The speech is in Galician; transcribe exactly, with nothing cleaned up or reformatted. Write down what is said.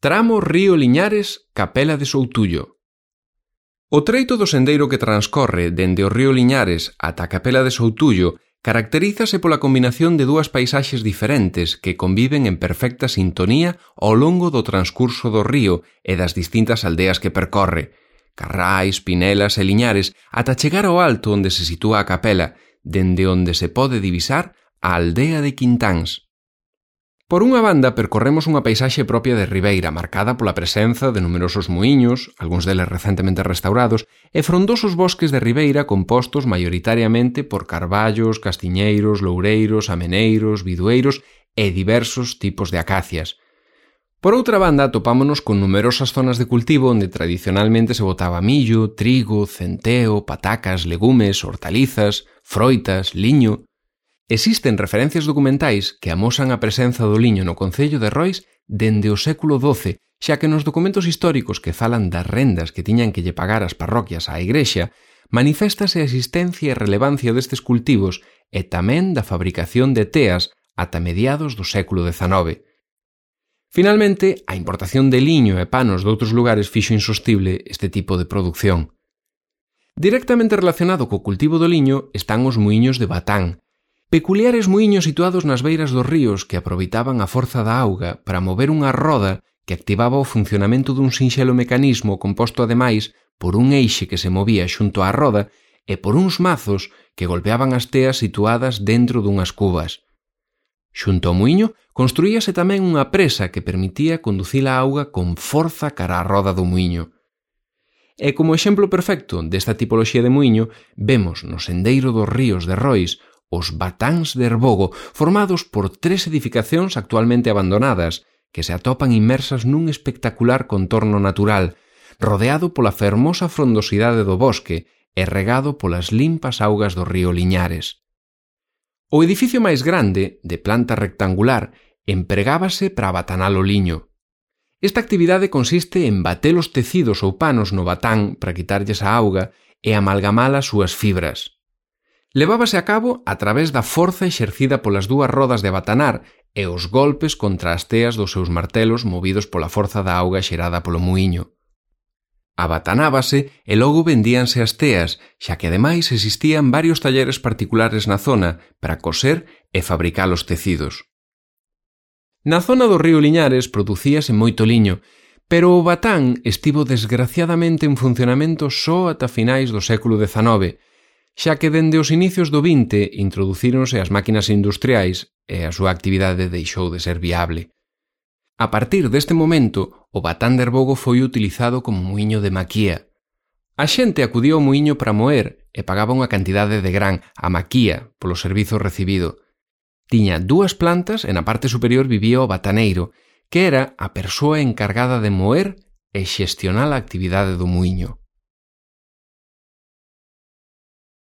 Tramo Río Liñares, Capela de Soutullo. O treito do sendeiro que transcorre dende o río Liñares ata a Capela de Soutullo caracterízase pola combinación de dúas paisaxes diferentes que conviven en perfecta sintonía ao longo do transcurso do río e das distintas aldeas que percorre, Carrais, Pinelas e Liñares, ata chegar ao alto onde se sitúa a capela, dende onde se pode divisar a aldea de Quintáns. Por unha banda, percorremos unha paisaxe propia de Ribeira, marcada pola presenza de numerosos muíños, algúns deles recentemente restaurados, e frondosos bosques de ribeira compostos maioritariamente por carballos, castiñeiros, loureiros, ameneiros, bidueiros e diversos tipos de acacias. Por outra banda, topámonos con numerosas zonas de cultivo onde tradicionalmente se botaba millo, trigo, centeo, patacas, legumes, hortalizas, froitas, liño. Existen referencias documentais que amosan a presenza do liño no concello de Rois dende o século doce, xa que nos documentos históricos que falan das rendas que tiñan que lle pagar as parroquias á igrexa, maniféstase a existencia e relevancia destes cultivos e tamén da fabricación de teas ata mediados do século dezanove. Finalmente, a importación de liño e panos doutros lugares fixo insostible este tipo de produción. Directamente relacionado co cultivo do liño están os muíños de Batán, peculiares muíños situados nas beiras dos ríos que aproveitaban a forza da auga para mover unha roda que activaba o funcionamento dun sinxelo mecanismo composto ademais por un eixe que se movía xunto á roda e por uns mazos que golpeaban as teas situadas dentro dunhas cubas. Xunto ao muíño construíase tamén unha presa que permitía conducir a auga con forza cara á roda do muíño. E como exemplo perfecto desta tipoloxía de muíño, vemos no sendeiro dos ríos de Rois os Batáns de Herbogo, formados por tres edificacións actualmente abandonadas, que se atopan inmersas nun espectacular contorno natural, rodeado pola fermosa frondosidade do bosque e regado polas limpas augas do río Liñares. O edificio máis grande, de planta rectangular, empregábase para batanar o liño. Esta actividade consiste en bater os tecidos ou panos no batán para quitarlles a auga e amalgamar as súas fibras. Levábase a cabo a través da forza exercida polas dúas rodas de batanar e os golpes contra as teas dos seus martelos movidos pola forza da auga xerada polo muíño. Abatanábase e logo vendíanse as teas, xa que ademais existían varios talleres particulares na zona para coser e fabricar os tecidos. Na zona do río Liñares producíase moito liño, pero o batán estivo desgraciadamente en funcionamento só ata finais do século dezanove, xa que dende os inicios do vinte introducíronse as máquinas industriais e a súa actividade deixou de ser viable. A partir deste momento, o batán de Herbogo foi utilizado como muíño de maquía. A xente acudía ao muíño para moer e pagaba unha cantidade de gran, a maquía, polo servizo recibido. Tiña dúas plantas e na parte superior vivía o bataneiro, que era a persoa encargada de moer e xestionar a actividade do muíño.